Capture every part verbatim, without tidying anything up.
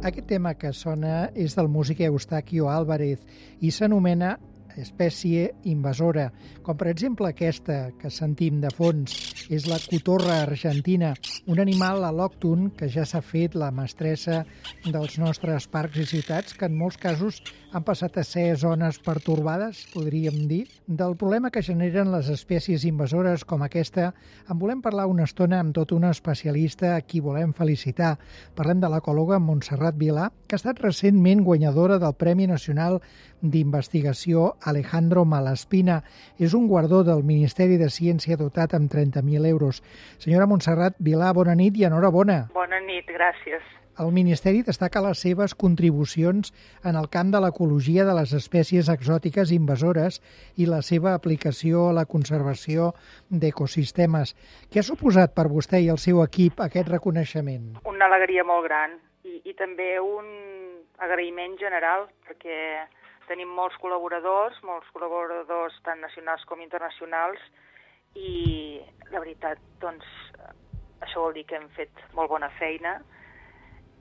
Aquest tema que sona és del músic Eustaquio Álvarez i s'anomena espècie invasora, com per exemple aquesta que sentim de fons, és la cotorra argentina, un animal al·lòcton que ja s'ha fet la mestressa dels nostres parcs i ciutats, que en molts casos han passat a ser zones pertorbades, podríem dir. Del problema que generen les espècies invasores com aquesta en volem parlar una estona amb tot una especialista a qui volem felicitar. Parlem de l'ecòloga Montserrat Vilà, que ha estat recentment guanyadora del Premi Nacional d'Investigació Alejandro Malaspina. És un guardó del Ministeri de Ciència dotat amb trenta mil euros. Senyora Montserrat Vilà, bona nit i enhorabona. Bona nit, gràcies. El Ministeri destaca les seves contribucions en el camp de l'ecologia de les espècies exòtiques invasores i la seva aplicació a la conservació d'ecosistemes. Què ha suposat per vostè i el seu equip aquest reconeixement? Una alegria molt gran i, i també un agraïment general, perquè tenim molts col·laboradors, molts col·laboradors tant nacionals com internacionals, i la veritat, doncs, això vol dir que hem fet molt bona feina.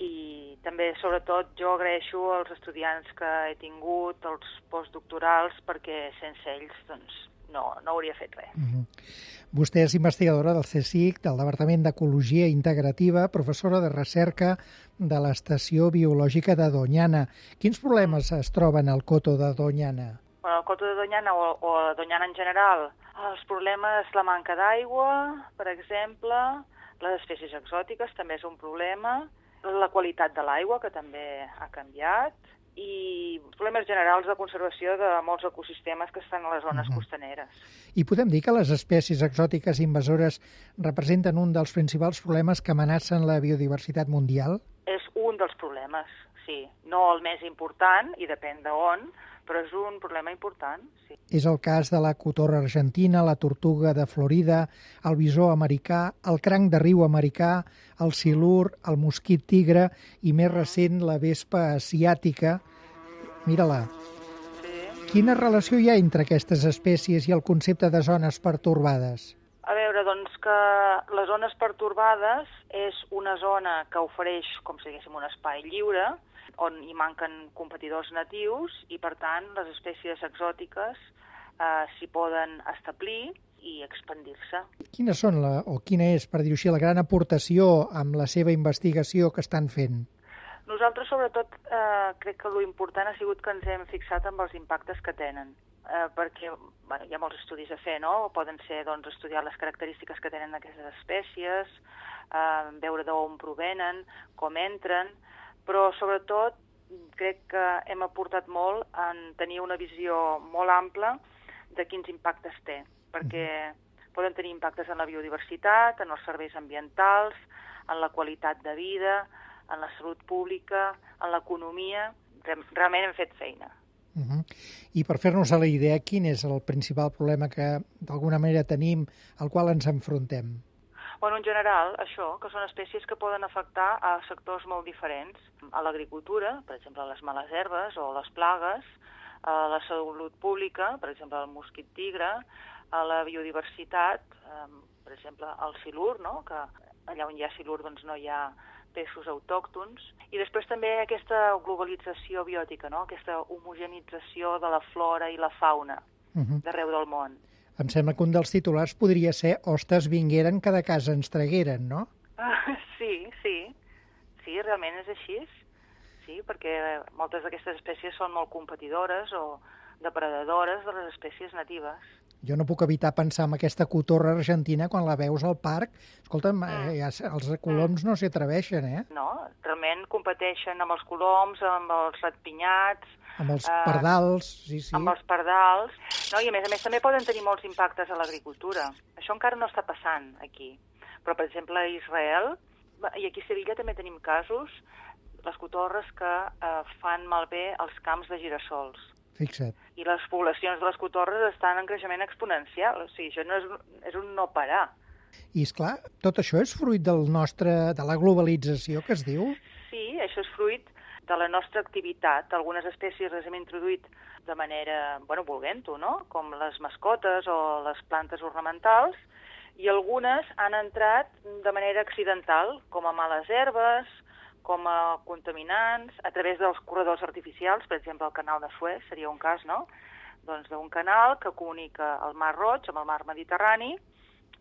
I també, sobretot, jo agraeixo als estudiants que he tingut, els postdoctorals, perquè sense ells doncs, no, no hauria fet res. Mm-hmm. Vostè és investigadora del CSIC, del Departament d'Ecologia Integrativa, professora de recerca de l'Estació Biològica de Doñana. Quins problemes es troben al coto de Doñana? Bueno, el coto de Doñana o, o a Doñana en general, els problemes, la manca d'aigua, per exemple, les espècies exòtiques també és un problema, la qualitat de l'aigua, que també ha canviat, i problemes generals de conservació de molts ecosistemes que estan a les zones uh-huh. costaneres. I podem dir que les espècies exòtiques invasores representen un dels principals problemes que amenacen la biodiversitat mundial? És un dels problemes, sí. No el més important, i depèn d'on, però és un problema important, sí. És el cas de la cotorra argentina, la tortuga de Florida, el bisó americà, el cranc de riu americà, el silur, el mosquit tigre i, més recent, la vespa asiàtica. Mira-la. Sí. Quina relació hi ha entre aquestes espècies i el concepte de zones pertorbades? A veure, doncs que les zones pertorbades és una zona que ofereix, com si diguéssim, un espai lliure, on hi manquen competidors natius i, per tant, les espècies exòtiques eh, s'hi poden establir i expandir-se. Quines són, la, o quina és, per dir-ho així, la gran aportació amb la seva investigació que estan fent? Nosaltres, sobretot, eh, crec que l'important ha sigut que ens hem fixat amb els impactes que tenen, eh, perquè bueno, hi ha molts estudis a fer, no? Poden ser doncs, estudiar les característiques que tenen aquestes espècies, eh, veure d'on provenen, com entren, però sobretot crec que hem aportat molt en tenir una visió molt ampla de quins impactes té, perquè poden tenir impactes en la biodiversitat, en els serveis ambientals, en la qualitat de vida, en la salut pública, en l'economia. Realment hem fet feina. Uh-huh. I per fer-nos a la idea, quin és el principal problema que d'alguna manera tenim, al qual ens enfrontem? Bueno, en general, això, que són espècies que poden afectar a sectors molt diferents. A l'agricultura, per exemple, les males herbes o les plagues, a la salut pública, per exemple, el mosquit tigre, a la biodiversitat, eh, per exemple, el silur, no? Que allà on hi ha silur doncs, no hi ha peixos autòctons. I després també aquesta globalització biòtica, no? Aquesta homogenització de la flora i la fauna uh-huh. d'arreu del món. Em sembla que un dels titulars podria ser «Hostes vingueren, cada casa ens tragueren», no? Uh, sí, sí. Sí, realment és així. Sí, perquè moltes d'aquestes espècies són molt competidores o depredadores de les espècies natives. Jo no puc evitar pensar en aquesta cotorra argentina quan la veus al parc. Escolta'm, mm. eh, els coloms no s'hi atreveixen, eh? No, realment competeixen amb els coloms, amb els ratpinyats, amb els pardals, sí, sí. Amb els pardals. No, i a més a més també poden tenir molts impactes a l'agricultura. Això encara no està passant aquí. Però, per exemple, a Israel, i aquí a Sevilla també tenim casos, les cotorres que eh, fan malbé els camps de girassols. Fixa't. I les poblacions de les cotorres estan en creixement exponencial. O sigui, això no és, és un no parar. I, esclar, tot això és fruit del nostre, de la globalització que es diu? Sí, això és fruit de la nostra activitat. Algunes espècies les hem introduït de manera, bueno, volent-ho, no? Com les mascotes o les plantes ornamentals, i algunes han entrat de manera accidental, com a males herbes, com a contaminants a través dels corredors artificials, per exemple, el canal de Suez seria un cas, no? Doncs d'un canal que comunica el Mar Roig amb el Mar Mediterrani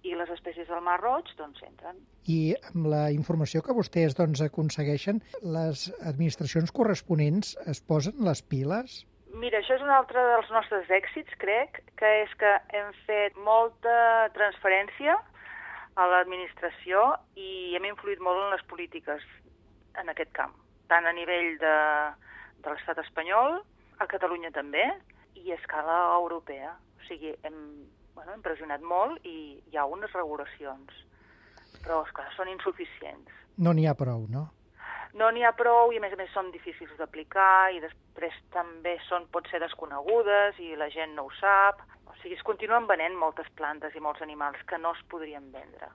i les espècies del Mar Roig doncs entren. I amb la informació que vostès doncs, aconsegueixen, les administracions corresponents es posen les piles? Mira, això és un altre dels nostres èxits, crec, que és que hem fet molta transferència a l'administració i hem influït molt en les polítiques en aquest camp, tant a nivell de, de l'estat espanyol, a Catalunya també, i a escala europea. O sigui, hem, bueno, hem pressionat molt i hi ha unes regulacions, però, esclar, són insuficients. No n'hi ha prou, no? No n'hi ha prou i, a més a més, són difícils d'aplicar i després també són, pot ser desconegudes i la gent no ho sap. O sigui, es continuen venent moltes plantes i molts animals que no es podrien vendre,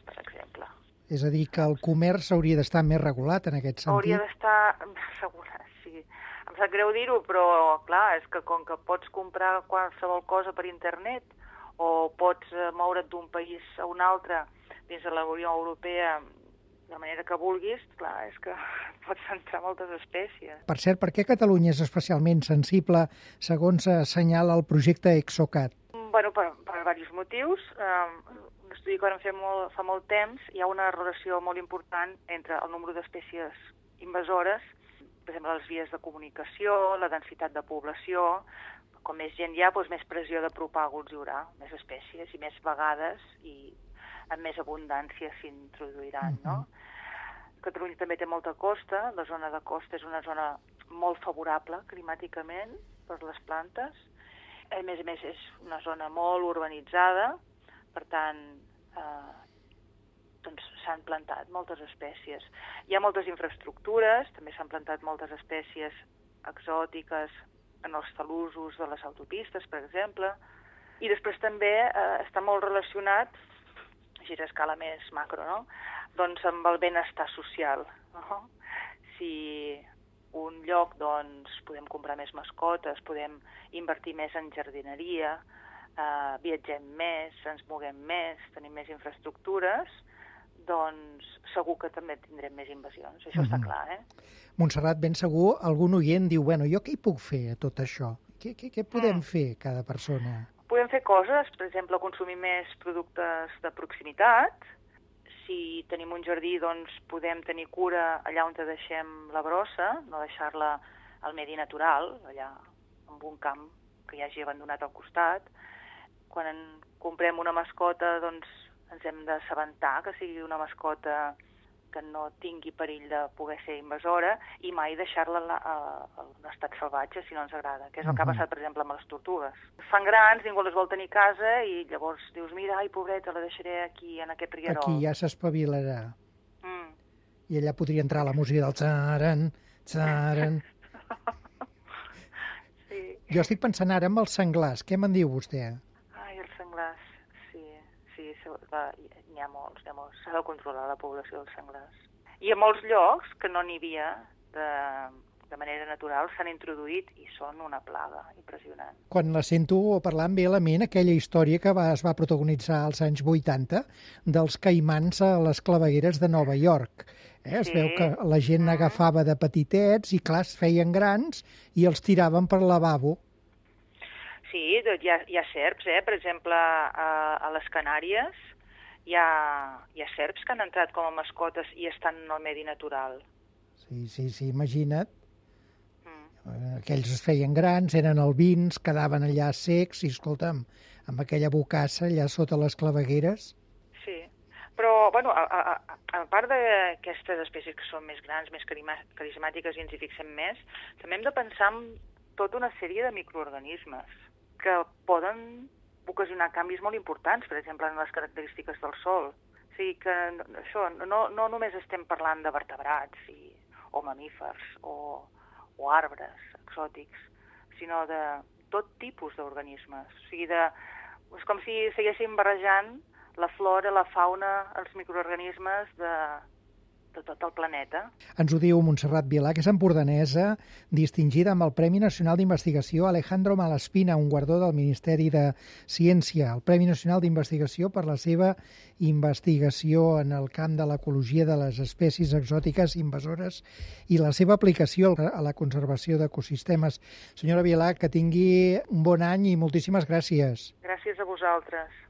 per exemple. És a dir, que el comerç hauria d'estar més regulat en aquest sentit? Hauria d'estar regulat, sí. Em sap greu dir-ho, però, clar, és que com que pots comprar qualsevol cosa per internet o pots moure't d'un país a un altre dins de la Unió Europea de manera que vulguis, clar, és que pots entrar moltes espècies. Per cert, per què Catalunya és especialment sensible, segons assenyala el projecte Exocat? Bueno, per, per diversos motius. Um, un estudi que vam fer molt, fa molt temps, hi ha una relació molt important entre el nombre d'espècies invasores, per exemple, les vies de comunicació, la densitat de població. Com més gent hi ha, doncs més pressió de propàguls hi haurà, més espècies i més vegades i amb més abundància s'introduiran, uh-huh. no? Catalunya també té molta costa, la zona de costa és una zona molt favorable climàticament per les plantes. A més a més és una zona molt urbanitzada, per tant eh, doncs s'han plantat moltes espècies. Hi ha moltes infraestructures, també s'han plantat moltes espècies exòtiques en els talussos de les autopistes, per exemple, i després també eh, està molt relacionat així a escala més macro, no? Doncs amb el benestar social. No? Si un lloc, doncs, podem comprar més mascotes, podem invertir més en jardineria, eh, viatgem més, ens moguem més, tenim més infraestructures, doncs segur que també tindrem més invasions. Això mm-hmm. està clar, eh? Montserrat, ben segur, algun oient diu, bueno, jo què hi puc fer a tot això? Què, què, què podem mm. fer cada persona? Podem fer coses, per exemple, consumir més productes de proximitat. Si tenim un jardí, doncs podem tenir cura allà on deixem la brossa, no deixar-la al medi natural, allà en un camp que hi hagi abandonat al costat. Quan en comprem una mascota, doncs ens hem d'assabentar que sigui una mascota que no tingui perill de poder ser invasora i mai deixar-la en un estat salvatge si no ens agrada, que és el que ha passat, per exemple, amb les tortugues. Fan grans, ningú les vol tenir a casa i llavors dius, mira, ai, pobreta, la deixaré aquí, en aquest rierol. Aquí ja s'espavilarà. Mm. I allà podria entrar la música del tsaran, tsaran. Sí. Jo estic pensant ara en els senglars. Què me'n diu vostè? Ai, els senglars, sí, sí, n'hi ha molts, n'hi ha molts. S'ha de controlar la població dels senglars. I a molts llocs que no n'hi havia de, de manera natural s'han introduït i són una plaga impressionant. Quan la sento parlar em ve a la ment aquella història que va, es va protagonitzar als anys vuitanta dels caimans a les clavegueres de Nova York. Eh? Es sí. veu que la gent mm. agafava de petitets i, clar, es feien grans i els tiraven per lavabo. Sí, hi ha, hi ha serps, eh? Per exemple, a, a les Canàries hi ha, hi ha serps que han entrat com a mascotes i estan en el medi natural. Sí, sí, sí, imagina't. Mm. Aquells es feien grans, eren albins, quedaven allà secs i, escolta'm, amb aquella bocassa allà sota les clavegueres. Sí, però, bueno, a, a, a part d'aquestes espècies que són més grans, més carismàtiques i ens hi fixem més, també hem de pensar en tota una sèrie de microorganismes que poden ocasionar canvis molt importants, per exemple, en les característiques del sòl. O sigui que això, no, no només estem parlant de vertebrats i, o mamífers o, o arbres exòtics, sinó de tot tipus d'organismes. O sigui, de, és com si estiguéssim barrejant la flora, la fauna, els microorganismes de, de tot el planeta. Ens ho diu Montserrat Vilà, que és empordanesa, distingida amb el Premi Nacional d'Investigació Alejandro Malaspina, un guardó del Ministeri de Ciència, el Premi Nacional d'Investigació per la seva investigació en el camp de l'ecologia de les espècies exòtiques invasores i la seva aplicació a la conservació d'ecosistemes. Senyora Vilà, que tingui un bon any i moltíssimes gràcies. Gràcies a vosaltres.